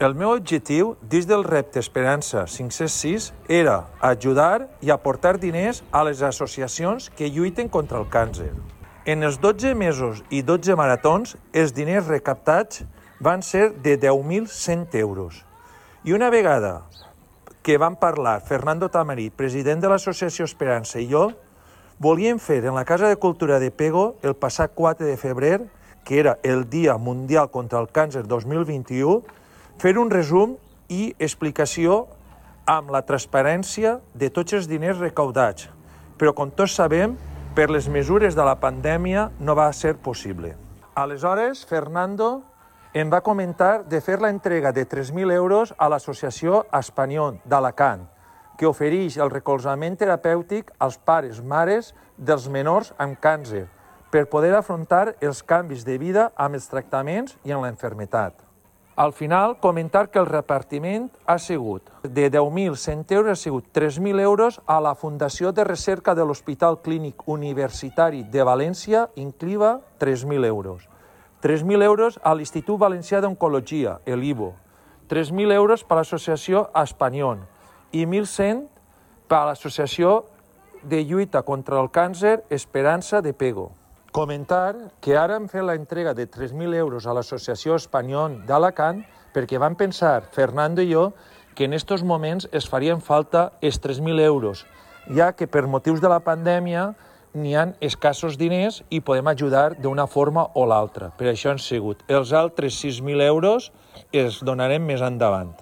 El meu objectiu, dins del repte Esperança 506, era ajudar i aportar diners a les associacions que lluiten contra el càncer. En els 12 mesos i 12 maratons, els diners recaptats van ser de 10.100 euros. I una vegada que vam parlar Fernando Tamarit, president de l'Associació Esperança, i jo, volíem fer en la Casa de Cultura de Pego el passat 4 de febrer, que era el Dia Mundial contra el Càncer 2021, fer un resum i explicació amb la transparència de tots els diners recaudats, però com tots sabem, per les mesures de la pandèmia no va ser possible. Aleshores, Fernando em va comentar de fer la entrega de 3.000 euros a l'Associació Espanyol d'Alacant, que ofereix el recolzament terapèutic als pares, mares dels menors amb càncer, per poder afrontar els canvis de vida amb els tractaments i amb la malaltia. Al final, comentar que el repartiment ha sigut de 10.100 euros, ha sigut 3.000 euros a la Fundació de Recerca de l'Hospital Clínic Universitari de València, Incliva, 3.000 euros. 3.000 euros a l'Institut Valencià d'Oncologia, l'IVO. 3.000 euros per a l'Associació Espanyol i 1.100 per a l'Associació de Lluita contra el Càncer Esperança de Pego. Comentar que ara hem fet la entrega de 3.000 euros a l'Associació Espanyol d'Alacant perquè vam pensar, Fernando i jo, que en aquests moments es farien falta els 3.000 euros, ja que per motius de la pandèmia n'hi ha escassos diners i podem ajudar d'una forma o l'altra. Per això han sigut. Els altres 6.000 euros els donarem més endavant.